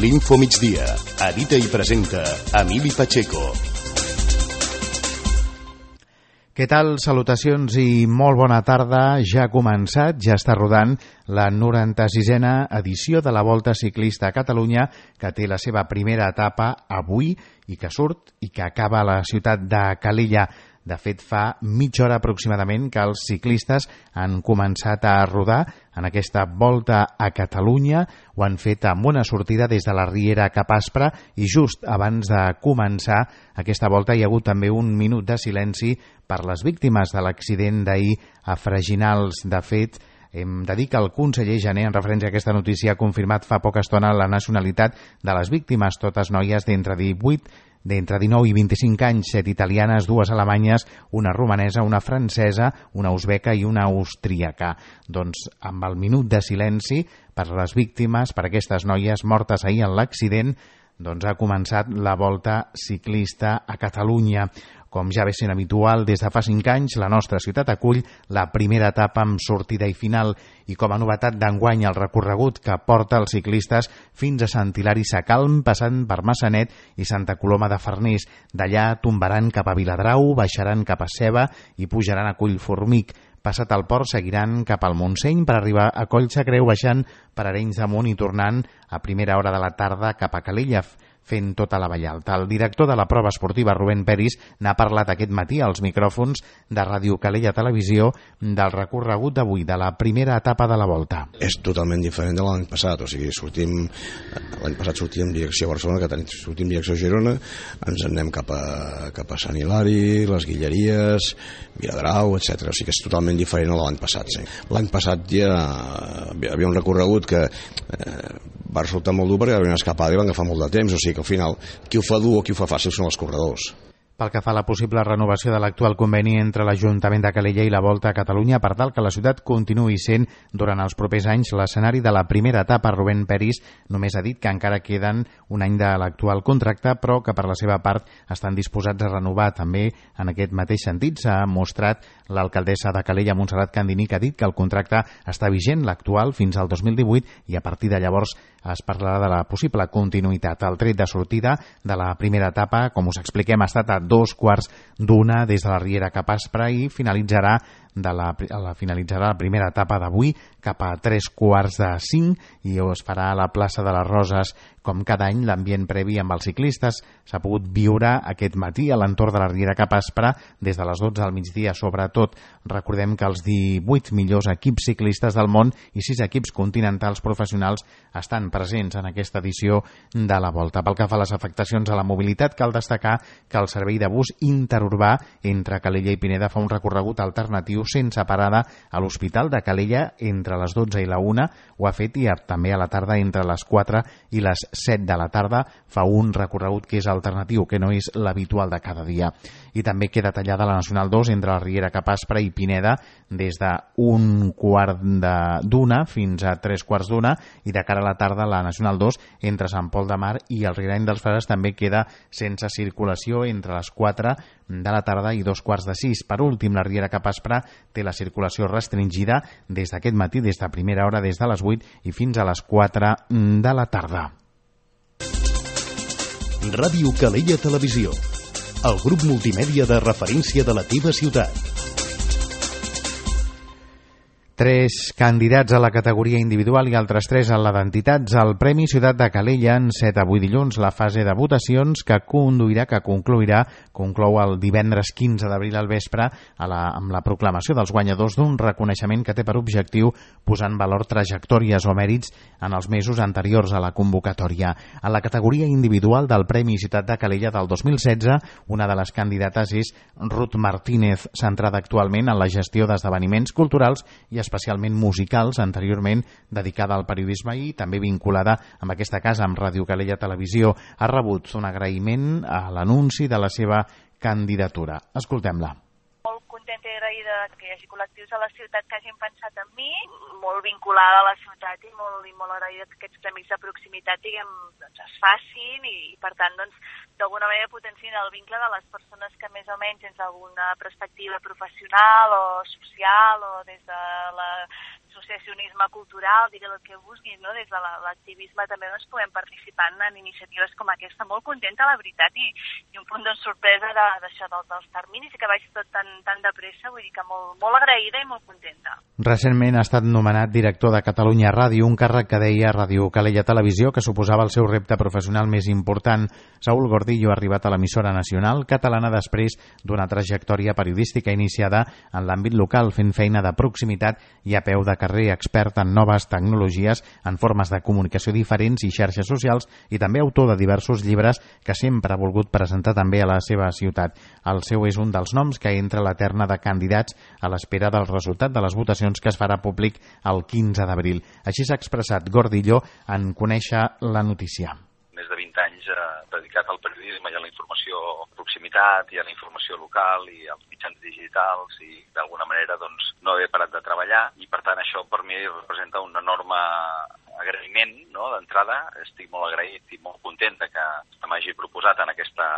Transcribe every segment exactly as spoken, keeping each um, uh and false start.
L'Info Migdia. Edita i presenta Emili Pacheco. Què tal? Salutacions i molt bona tarda. Ja ha començat, ja està rodant la noranta-sisena edició de la Volta Ciclista a Catalunya, que té la seva primera etapa avui i que surt i que acaba a la ciutat de Calella. De fet, fa mitja hora aproximadament que els ciclistes han començat a rodar en aquesta Volta a Catalunya. Ho han fet amb una sortida des de la Riera cap a Aspra i just abans de començar aquesta volta hi ha hagut també un minut de silenci per les víctimes de l'accident d'ahir a Freginals. De fet, hem de dir que el conseller Jané, en referència a aquesta notícia, ha confirmat fa poca estona la nacionalitat de les víctimes, totes noies d'entre divuit d'entre dinou i vint-i-cinc anys, set italianes, dues alemanyes, una romanesa, una francesa, una uzbeca i una austríaca. Doncs amb el minut de silenci per les víctimes, per aquestes noies mortes ahir en l'accident, doncs ha començat la Volta Ciclista a Catalunya. Com ja ve sent habitual, des de fa cinc anys, la nostra ciutat acull la primera etapa amb sortida i final i com a novetat d'enguany el recorregut que porta els ciclistes fins a Sant Hilari Sacalm, passant per Massanet i Santa Coloma de Farners. D'allà tombaran cap a Viladrau, baixaran cap a Ceba i pujaran a Collformic. Passat el port seguiran cap al Montseny per arribar a Collsacreu, baixant per Arenys de Munt i tornant a primera hora de la tarda cap a Calella, fent tota la Vall Alta. El director de la prova esportiva, Rubén Peris, n'ha parlat aquest matí als micròfons de Ràdio Calella Televisió del recorregut d'avui, de la primera etapa de la Volta. És totalment diferent de l'any passat, o sigui, sortim, l'any passat sortíem en direcció a Barcelona, que sortim en direcció a Girona, ens en anem cap a, cap a Sant Hilari, les Guilleries, Viladrau, etcètera. O sigui que és totalment diferent a l'any passat. Sí. L'any passat ja hi havia un recorregut que eh, va resultar molt dur perquè hi havia una escapada i van agafar molt de temps, o sigui que al final qui ho fa dur o qui ho fa fàcil són els corredors. Pel que fa a la possible renovació de l'actual conveni entre l'Ajuntament de Calella i la Volta a Catalunya per tal que la ciutat continuï sent durant els propers anys l'escenari de la primera etapa, Rubén Peris només ha dit que encara queden un any de l'actual contracte, però que per la seva part estan disposats a renovar. També en aquest mateix sentit s'ha mostrat l'alcaldessa de Calella, Montserrat Candini, que ha dit que el contracte està vigent, l'actual, fins al dos mil divuit i a partir de llavors es parlarà de la possible continuïtat. El tret de sortida de la primera etapa, com us expliquem, ha estat a dos quarts d'una des de la Riera cap a Aspra i finalitzarà de la, la, finalitzarà la primera etapa d'avui cap a tres quarts de cinc i es farà a la plaça de les Roses. Com cada any, l'ambient previ amb els ciclistes s'ha pogut viure aquest matí a l'entorn de la Riera cap a Aspra des de les dotze al migdia. Sobretot, recordem que els divuit millors equips ciclistes del món i sis equips continentals professionals estan presents en aquesta edició de la Volta. Pel que fa a les afectacions a la mobilitat, cal destacar que el servei de bus interurbà entre Calella i Pineda fa un recorregut alternatiu sense parada a l'Hospital de Calella entre les dotze i la una, ho ha fet i també a la tarda entre les quatre i les set de la tarda fa un recorregut que és alternatiu, que no és l'habitual de cada dia. I també queda tallada la Nacional dos entre la Riera cap a Aspra i Pineda des d'un quart d'una fins a tres quarts d'una i de cara a la tarda la Nacional dos entre Sant Pol de Mar i el Riarany dels Frares també queda sense circulació entre les quatre de la tarda i dos quarts de sis. Per últim, la Riera cap a Aspra té la circulació restringida des d'aquest matí, des de primera hora, des de les vuit i fins a les quatre de la tarda. Ràdio Calella Televisió, el grup multimèdia de referència de la teva ciutat. Tres candidats a la categoria individual i altres tres a la d'entitats al Premi Ciutat de Calella han set avui dilluns la fase de votacions que conduirà, que concluirà, conclou el divendres quinze d'abril al vespre a la, amb la proclamació dels guanyadors d'un reconeixement que té per objectiu posar en valor trajectòries o mèrits en els mesos anteriors a la convocatòria. A la categoria individual del Premi Ciutat de Calella del dos mil setze, una de les candidates és Ruth Martínez, centrada actualment en la gestió d'esdeveniments culturals i especialment musicals, anteriorment dedicada al periodisme i també vinculada amb aquesta casa, amb Ràdio Calella Televisió. Ha rebut un agraïment a l'anunci de la seva candidatura. Escoltem-la. Molt contenta i agraïda que hi hagi col·lectius a la ciutat que hagin pensat en mi, molt vinculada a la ciutat i molt, i molt agraïda que aquests premis de proximitat diguem, doncs, es facin i, i per tant doncs, d'alguna manera potenciïn el vincle de les persones que més o menys des d'alguna perspectiva professional o social o des de la l'associacionisme cultural, digueu el que vulguis, no? Des de l'activisme també doncs, podem participar en iniciatives com aquesta. Molt contenta, la veritat, i, i un punt de sorpresa d'això de, dels terminis, i que vagi tot tan, tan de pressa, vull dir que molt, molt agraïda i molt contenta. Recentment ha estat nomenat director de Catalunya Ràdio, un càrrec que deia Ràdio Calella Televisió, que suposava el seu repte professional més important. Saúl Gordillo ha arribat a l'emissora nacional catalana després d'una trajectòria periodística iniciada en l'àmbit local, fent feina de proximitat i a peu de carrer, expert en noves tecnologies, en formes de comunicació diferents i xarxes socials, i també autor de diversos llibres que sempre ha volgut presentar també a la seva ciutat. El seu és un dels noms que entra a la terna de candidats a l'espera del resultat de les votacions que es farà públic el quinze d'abril. Així s'ha expressat Gordillo en conèixer la notícia. Més de vint anys eh, dedicat al periodisme i a la informació proximitat i a la informació local i als mitjans digitals, i d'alguna manera doncs, no he parat de treballar, i per tant això per mi representa un enorme agraïment, no? D'entrada. Estic molt agraït i molt content que m'hagi proposat en aquesta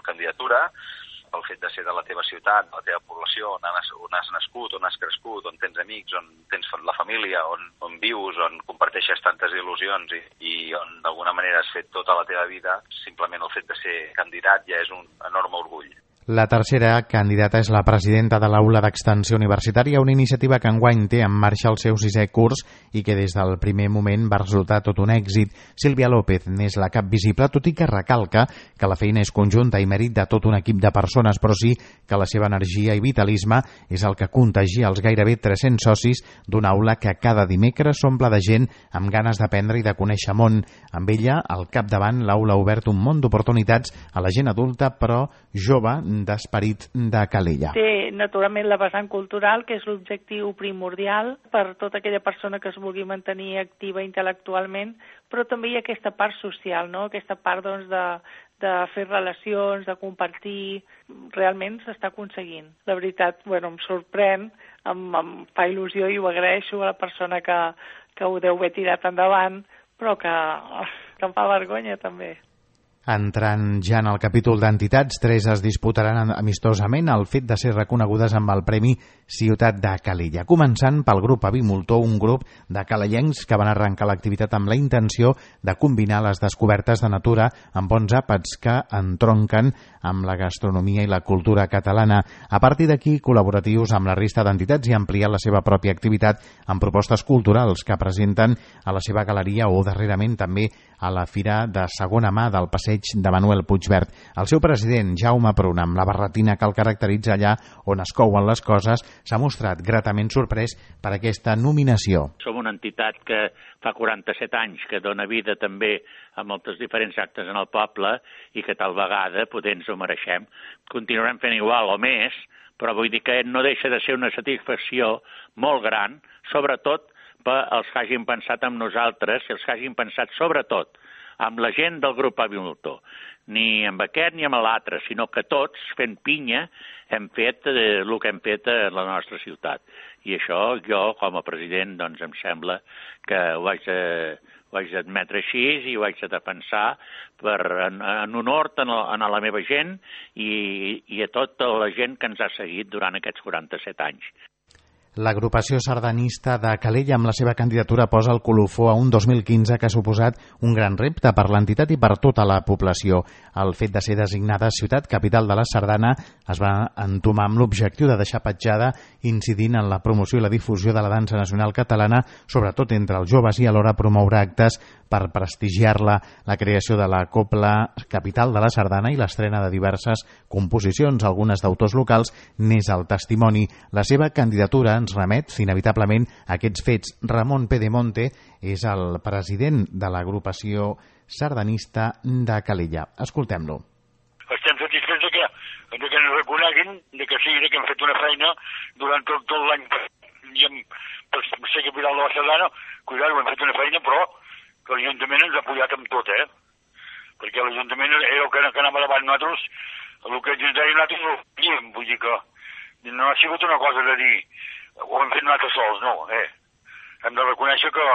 candidatura. El fet de ser de la teva ciutat, de la teva població, on has, on has nascut, on has crescut, on tens amics, on tens la família, on, on vius, on comparteixes tantes il·lusions i, i on d'alguna manera has fet tota la teva vida, simplement el fet de ser candidat ja és un enorme orgull. La tercera candidata és la presidenta de l'Aula d'Extensió Universitària, una iniciativa que enguany té en marxa el seu sisè curs i que des del primer moment va resultar tot un èxit. Sílvia López n'és la cap visible, tot i que recalca que la feina és conjunta i mèrit de tot un equip de persones, però sí que la seva energia i vitalisme és el que contagia els gairebé tres-cents socis d'una aula que cada dimecres s'omple de gent amb ganes d'aprendre i de conèixer món. Amb ella, al capdavant, l'aula ha obert un món d'oportunitats a la gent adulta, però jove, d'esperit de Calella. Té, naturalment, la vessant cultural, que és l'objectiu primordial per tota aquella persona que es vulgui mantenir activa intel·lectualment, però també hi ha aquesta part social, no? Aquesta part doncs, de, de fer relacions, de compartir. Realment s'està aconseguint. La veritat, bueno, em sorprèn, em, em fa il·lusió i ho agraeixo a la persona que, que ho deu haver tirat endavant, però que, que em fa vergonya també. Entrant ja en el capítol d'entitats, tres es disputaran amistosament el fet de ser reconegudes amb el Premi Ciutat de Calella. Començant pel grup Avimultor, un grup de calellencs que van arrencar l'activitat amb la intenció de combinar les descobertes de natura amb bons àpats que entronquen amb la gastronomia i la cultura catalana. A partir d'aquí, col·laboratius amb la resta d'entitats i ampliar la seva pròpia activitat amb propostes culturals que presenten a la seva galeria o darrerament també a la Fira de Segona Mà del Passeig de Manuel Puigverd. El seu president, Jaume Pruna, amb la barretina que el caracteritza allà on es couen les coses, s'ha mostrat gratament sorprès per aquesta nominació. Som una entitat que fa quaranta-set anys que dona vida també a moltes diferents actes en el poble i que tal vegada poder ens ho mereixem. Continuarem fent igual o més, però vull dir que no deixa de ser una satisfacció molt gran, sobretot per els que hagin pensat en nosaltres i els que hagin pensat sobretot amb la gent del grup Avimultor. Ni amb aquest ni amb l'altre, sinó que tots, fent pinya, hem fet eh, el que hem fet a la nostra ciutat. I això jo, com a president, doncs em sembla que ho haig de, ho haig d'admetre així i ho haig de defensar per, en, en honor a, a la meva gent i, i a tota la gent que ens ha seguit durant aquests quaranta-set anys. L'agrupació sardanista de Calella amb la seva candidatura posa el colofó a un dos mil quinze que ha suposat un gran repte per l'entitat i per tota la població. El fet de ser designada ciutat capital de la Sardana es va entomar amb l'objectiu de deixar petjada incidint en la promoció i la difusió de la dansa nacional catalana, sobretot entre els joves, i alhora promoure actes per prestigiar-la, la creació de la Copla Capital de la Sardana i l'estrena de diverses composicions, algunes d'autors locals, n'és el testimoni. La seva candidatura ens remet inevitablement a aquests fets. Ramon Pedemonte és el president de l'agrupació sardanista de Calella. Escoltem-lo. Estem satisfets de que, de que ens reconeguin, de que sí, de que hem fet una feina durant tot, tot l'any i hem, per ser capital de la Sardana, cuidar-ho, hem fet una feina, però que l'Ajuntament ens ha apoyat amb tot, eh? Perquè l'Ajuntament era el que, que anava davant nosaltres, el que ens deia nosaltres no ho diem, vull dir que no ha sigut una cosa de dir ho hem fet nosaltres sols, no, eh? Hem de reconèixer que,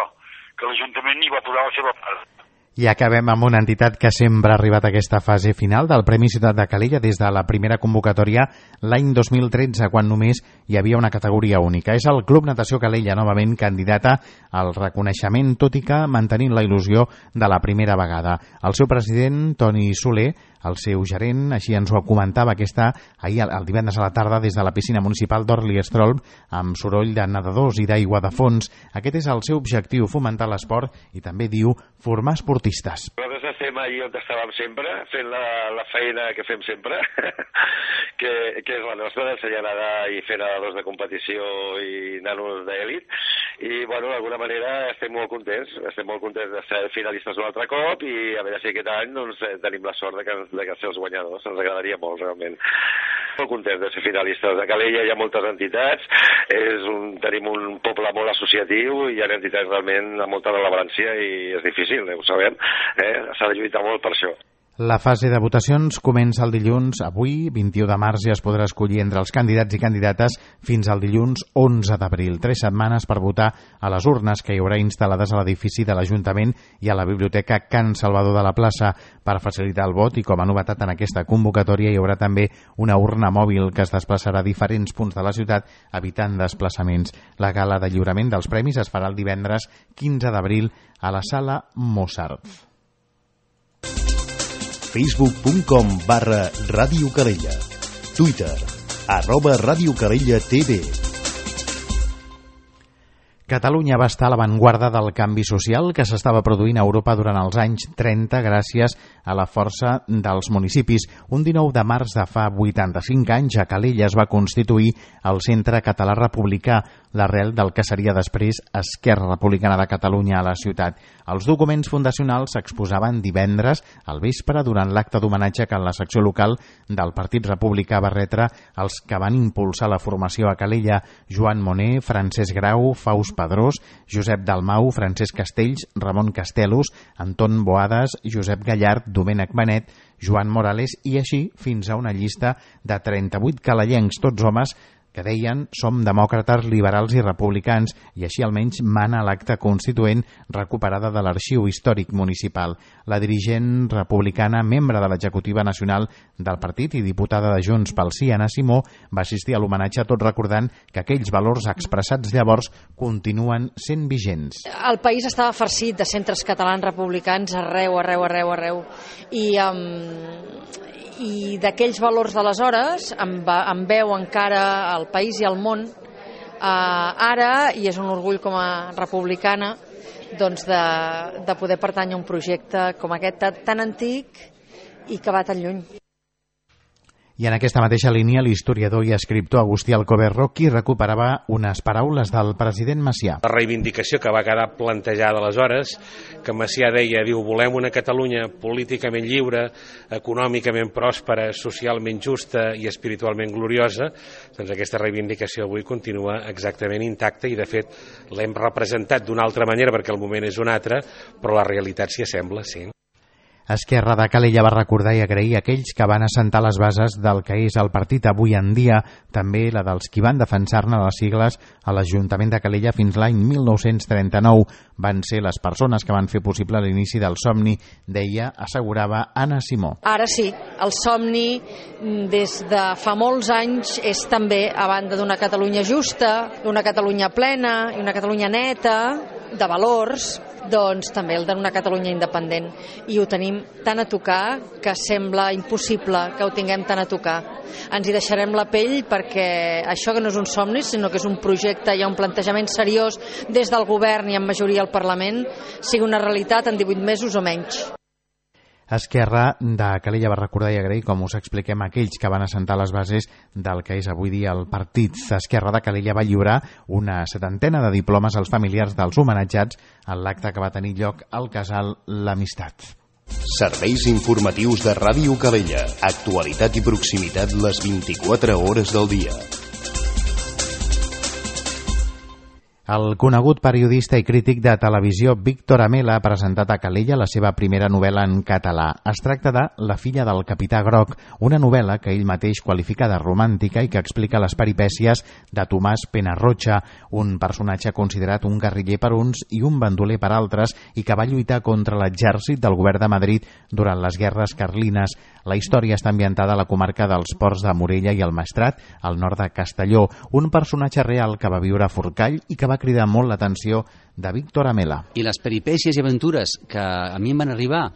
que l'Ajuntament hi va posar la seva part. I acabem amb una entitat que sempre ha arribat a aquesta fase final del Premi Ciutat de Calella des de la primera convocatòria l'any dos mil tretze, quan només hi havia una categoria única. És el Club Natació Calella, novament candidata al reconeixement, tot i que mantenint la il·lusió de la primera vegada. El seu president, Toni Soler, el seu gerent, així ens ho comentava aquesta ahir, el divendres a la tarda, des de la piscina municipal d'Orli-Estrolm, amb soroll de nedadors i d'aigua de fons. Aquest és el seu objectiu, fomentar l'esport i també, diu, formar esportistes. Nosaltres estem allí on estàvem sempre, fent la, la feina que fem sempre, que, que és la nostra, d'ensenyar a nedar i fer nedadors de competició i nanos d'èlit. I, bueno, d'alguna manera estem molt contents, estem molt contents de ser finalistes un altre cop i a veure si aquest any doncs, tenim la sort de que de que ser els guanyadors, ens agradaria molt realment. Molt contents de ser finalistes. A Calella hi ha moltes entitats, és un, tenim un poble molt associatiu i hi ha entitats realment amb molta rellevància i és difícil, eh, ho sabem, eh? S'ha de lluitar molt per això. La fase de votacions comença el dilluns. Avui, vint-i-u de març, ja es podrà escollir entre els candidats i candidates fins al dilluns onze d'abril. Tres setmanes per votar a les urnes que hi haurà instal·lades a l'edifici de l'Ajuntament i a la Biblioteca Can Salvador de la Plaça. Per facilitar el vot i com a novetat en aquesta convocatòria hi haurà també una urna mòbil que es desplaçarà a diferents punts de la ciutat evitant desplaçaments. La gala de lliurament dels premis es farà el divendres quinze d'abril a la Sala Mozart. facebook punt com barra Ràdio Calella. Twitter, arroba Ràdio Calella T V. Catalunya va estar a l'avantguarda del canvi social que s'estava produint a Europa durant els anys trenta gràcies a la força dels municipis. Un dinou de març de fa vuitanta-cinc anys a Calella es va constituir el Centre Català Republicà, l'arrel del que seria després Esquerra Republicana de Catalunya a la ciutat. Els documents fundacionals s'exposaven divendres al vespre durant l'acte d'homenatge que en la secció local del Partit Republicà va retre els que van impulsar la formació a Calella: Joan Moner, Francesc Grau, Faust Pedrós, Josep Dalmau, Francesc Castells, Ramon Castelos, Anton Boades, Josep Gallard, Domènec Benet, Joan Morales i així fins a una llista de trenta-vuit calellencs, tots homes que deien som demòcrates, liberals i republicans, i així almenys mana l'acta constituent recuperada de l'arxiu històric municipal. La dirigent republicana, membre de l'executiva nacional del partit i diputada de Junts pel Sí, Anna Simó, va assistir a l'homenatge tot recordant que aquells valors expressats llavors continuen sent vigents. El país estava farcit de centres catalans republicans arreu, arreu, arreu, arreu. I... Um... i d'aquells valors d'aleshores en, en veu encara el país i el món eh, ara, i és un orgull com a republicana doncs de, de poder pertànyer a un projecte com aquest tan antic i que va tan lluny. I en aquesta mateixa línia, l'historiador i escriptor Agustí Alcoberro, qui recuperava unes paraules del president Macià. La reivindicació que va quedar plantejada aleshores, que Macià deia, diu, volem una Catalunya políticament lliure, econòmicament pròspera, socialment justa i espiritualment gloriosa, doncs aquesta reivindicació avui continua exactament intacta i, de fet, l'hem representat d'una altra manera perquè el moment és un altre, però la realitat s'hi assembla, sí. Esquerra de Calella va recordar i agrair aquells que van assentar les bases del que és el partit avui en dia, també la dels qui van defensar-ne les sigles a l'Ajuntament de Calella fins l'any mil nou-cents trenta-nou. Van ser les persones que van fer possible l'inici del somni, deia, assegurava Anna Simó. Ara sí, el somni des de fa molts anys és també, a banda d'una Catalunya justa, d'una Catalunya plena i una Catalunya neta, de valors, doncs també el d'una Catalunya independent, i ho tenim tan a tocar que sembla impossible que ho tinguem tan a tocar. Ens hi deixarem la pell perquè això que no és un somni, sinó que és un projecte, hi ha un plantejament seriós des del govern i en majoria al Parlament, sigui una realitat en divuit mesos o menys. Esquerra de Calella va recordar i agrair, com us expliquem, aquells que van assentar les bases del que és avui dia el partit. Esquerra de Calella va lliurar una setantena de diplomes als familiars dels homenatjats en l'acte que va tenir lloc al casal L'Amistat. Serveis informatius de Ràdio Calella. Actualitat i proximitat les vint-i-quatre hores del dia. El conegut periodista i crític de televisió Víctor Amela ha presentat a Calella la seva primera novel·la en català. Es tracta de La filla del capità Groc, una novel·la que ell mateix qualifica de romàntica i que explica les peripècies de Tomàs Penarrocha, un personatge considerat un guerriller per uns i un bandoler per altres i que va lluitar contra l'exèrcit del govern de Madrid durant les guerres carlines. La història està ambientada a la comarca dels Ports de Morella i el Maestrat, al nord de Castelló, un personatge real que va viure a Forcall i que va cridar molt l'atenció de Víctor Amela. I les peripècies i aventures que a mi em van arribar,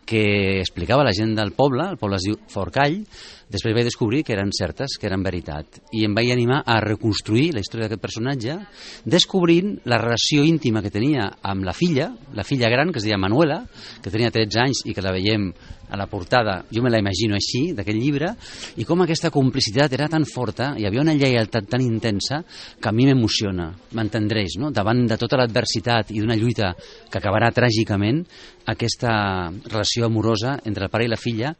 que explicava la gent del poble, el poble es diu Forcall, després vaig descobrir que eren certes, que eren veritat. I em vaig animar a reconstruir la història d'aquest personatge, descobrint la relació íntima que tenia amb la filla, la filla gran, que es deia Manuela, que tenia tretze anys i que la veiem a la portada, jo me la imagino així, d'aquest llibre, i com aquesta complicitat era tan forta, hi havia una lleialtat tan intensa, que a mi m'emociona, m'entendreix, no? Davant de tota l'adversitat i d'una lluita que acabarà tràgicament, aquesta relació amorosa entre el pare i la filla.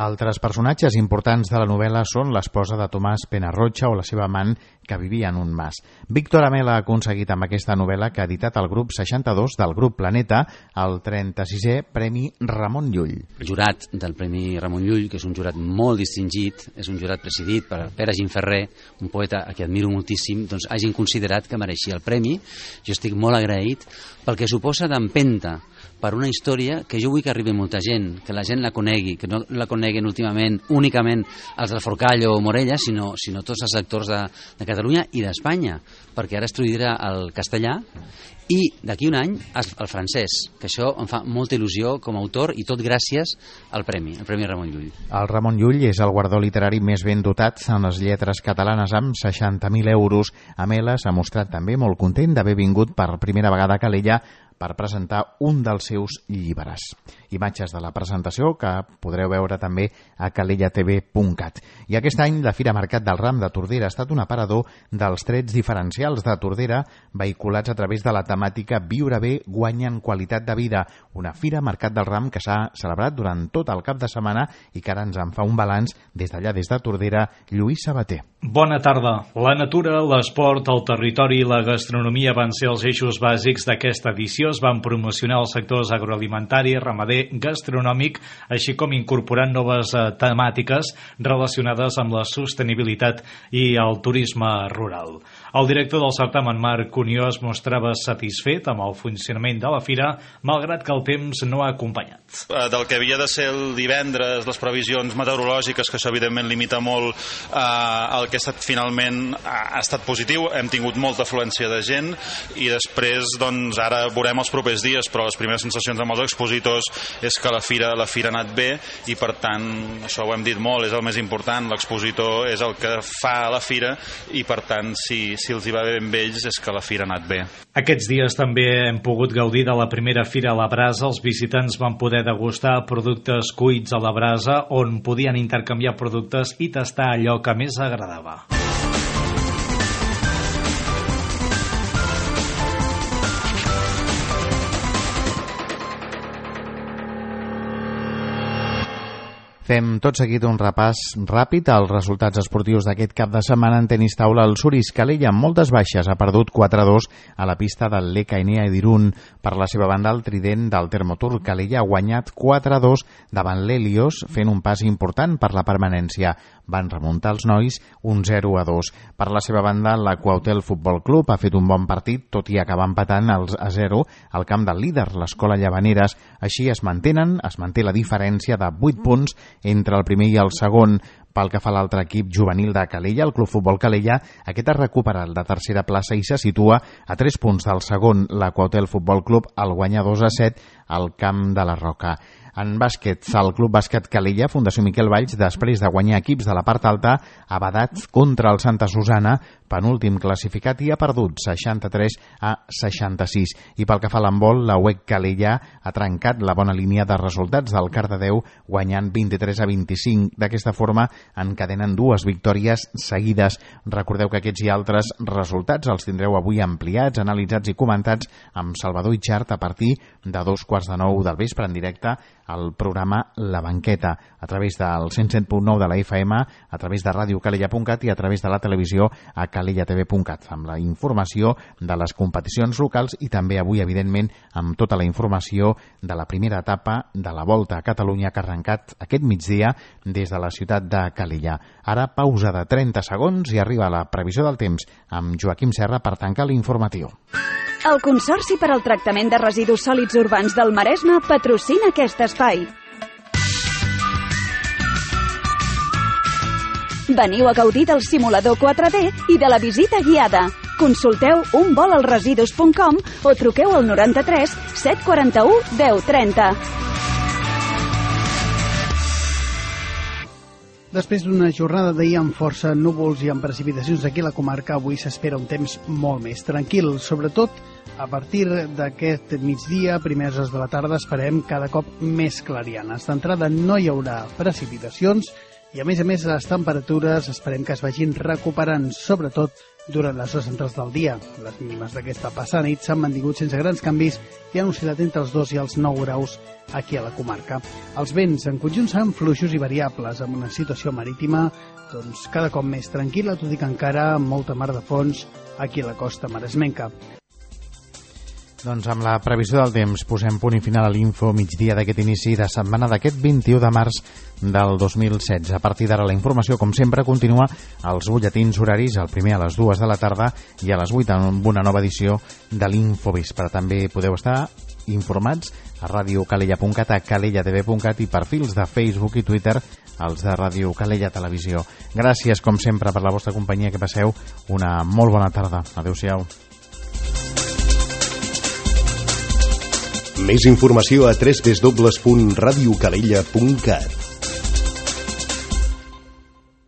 Altres personatges importants de la novel·la són l'esposa de Tomàs Penarrocha o la seva amant, que vivia en un mas. Víctor Amela ha aconseguit amb aquesta novel·la que ha editat el grup seixanta-dos del grup Planeta el trenta-sisè Premi Ramon Llull. El jurat del Premi Ramon Llull, que és un jurat molt distingit, és un jurat presidit per Pere Gimferrer, un poeta a qui admiro moltíssim, doncs hagin considerat que mereixia el premi. Jo estic molt agraït pel que suposa d'empenta per una història que jo vull que arribi molta gent, que la gent la conegui, que no la coneguen últimament únicament els del Forcall o Morella, sinó, sinó tots els actors de, de Catalunya i d'Espanya, perquè ara es traduirà el castellà i d'aquí un any el francès, que això em fa molta il·lusió com a autor i tot gràcies al premi, el Premi Ramon Llull. El Ramon Llull és el guardó literari més ben dotat en les lletres catalanes amb seixanta mil euros. Amela s'ha mostrat també molt content d'haver vingut per primera vegada a Calella per presentar un dels seus llibres. Imatges de la presentació que podreu veure també a calella t v punt cat. I aquest any la Fira Mercat del Ram de Tordera ha estat un aparador dels trets diferencials de Tordera vehiculats a través de la temàtica Viure bé guanya en qualitat de vida, una Fira Mercat del Ram que s'ha celebrat durant tot el cap de setmana i que ara ens en fa un balanç des d'allà, des de Tordera, Lluís Sabater. Bona tarda. La natura, l'esport, el territori i la gastronomia van ser els eixos bàsics d'aquesta edició. Es van promocionar els sectors agroalimentari, ramader, gastronòmic, així com incorporant noves eh, temàtiques relacionades amb la sostenibilitat i el turisme rural. El director del certamen, Marc Cunió, es mostrava satisfet amb el funcionament de la fira, malgrat que el temps no ha acompanyat. Del que havia de ser el divendres, les previsions meteorològiques, que això evidentment limita molt eh, el que ha estat finalment ha estat positiu, hem tingut molta afluència de gent i després doncs ara veurem els propers dies, però les primeres sensacions amb els expositors és que la fira, la fira ha anat bé i per tant, això ho hem dit molt, és el més important, l'expositor és el que fa la fira i per tant, si, si els hi va bé amb ells és que la fira ha anat bé. Aquests dies també hem pogut gaudir de la primera fira a la brasa. Els visitants van poder degustar productes cuits a la brasa on podien intercanviar productes i tastar allò que més agradava. Fem tot seguit un repàs ràpid als resultats esportius d'aquest cap de setmana. En tenis taula, el Suris Calella, amb moltes baixes, ha perdut quatre a dos a la pista del L K N A d'Irún. Per la seva banda, el trident del Termotur Calella ha guanyat quatre a dos davant l'Helios, fent un pas important per la permanència. Van remuntar els nois un zero a dos. Per la seva banda, l'Aquautel Futbol Club ha fet un bon partit, tot i acabar empatant els a zero al camp del líder, l'Escola Llavaneres. Així es mantenen, es manté la diferència de vuit punts entre el primer i el segon. Pel que fa a l'altre equip juvenil de Calella, el Club Futbol Calella, aquest ha recuperat la tercera plaça i se situa a tres punts del segon, l'Aquautel Futbol Club, al guanyar dos a set al camp de la Roca. En bàsquet, el Club Bàsquet Calella, Fundació Miquel Valls, després de guanyar equips de la part alta, ha badat contra el Santa Susana, penúltim classificat, i ha perdut seixanta-tres a seixanta-sis. I pel que fa a l'handbol, la U E C Calella ha trencat la bona línia de resultats del Cardedeu, guanyant vint-i-tres a vint-i-cinc. D'aquesta forma, encadenen dues victòries seguides. Recordeu que aquests i altres resultats els tindreu avui ampliats, analitzats i comentats amb Salvador Itxart a partir de dos quarts quarts de nou del vespre en directe al programa La Banqueta, a través del cent set punt nou de la F M, a través de ràdio calella punt cat i a través de la televisió a calella t v punt cat, amb la informació de les competicions locals i també avui, evidentment, amb tota la informació de la primera etapa de la Volta a Catalunya que ha arrencat aquest migdia des de la ciutat de Calella. Ara, pausa de trenta segons i arriba la previsió del temps amb Joaquim Serra per tancar l'informatiu. El Consorci per al Tractament de Residus Sòlids Urbans del Maresme patrocina aquest espai. Veniu a gaudir del simulador quatre D i de la visita guiada. Consulteu un vol als residus punt com o truqueu al noranta-tres set quaranta-u deu trenta. Després d'una jornada d'ahir amb força núvols i amb precipitacions aquí a la comarca, avui s'espera un temps molt més tranquil. Sobretot, a partir d'aquest migdia, primeres hores de la tarda, esperem cada cop més clarianes. D'entrada no hi haurà precipitacions i, a més a més, les temperatures esperem que es vagin recuperant, sobretot durant les hores centrals del dia. Les mínimes d'aquesta passada nit s'han mantingut sense grans canvis i han oscil·lat entre els dos i els nou graus aquí a la comarca. Els vents en conjunt seran fluixos i variables, amb una situació marítima doncs, cada cop més tranquil·la, tot i que encara amb molta mar de fons aquí a la costa maresmenca. Doncs amb la previsió del temps posem punt i final a l'info migdia d'aquest inici de setmana d'aquest vint-i-u de març del dos mil setze. A partir d'ara la informació, com sempre, continua als butlletins horaris, el primer a les dues de la tarda i a les vuit amb una nova edició de l'Infovespre. També podeu estar informats a ràdio calella punt cat, a calella t v punt cat i perfils de Facebook i Twitter, els de Ràdio Calella Televisió. Gràcies, com sempre, per la vostra companyia, que passeu una molt bona tarda. Adéu-siau. Més informació a w w w punt ràdio calella punt cat.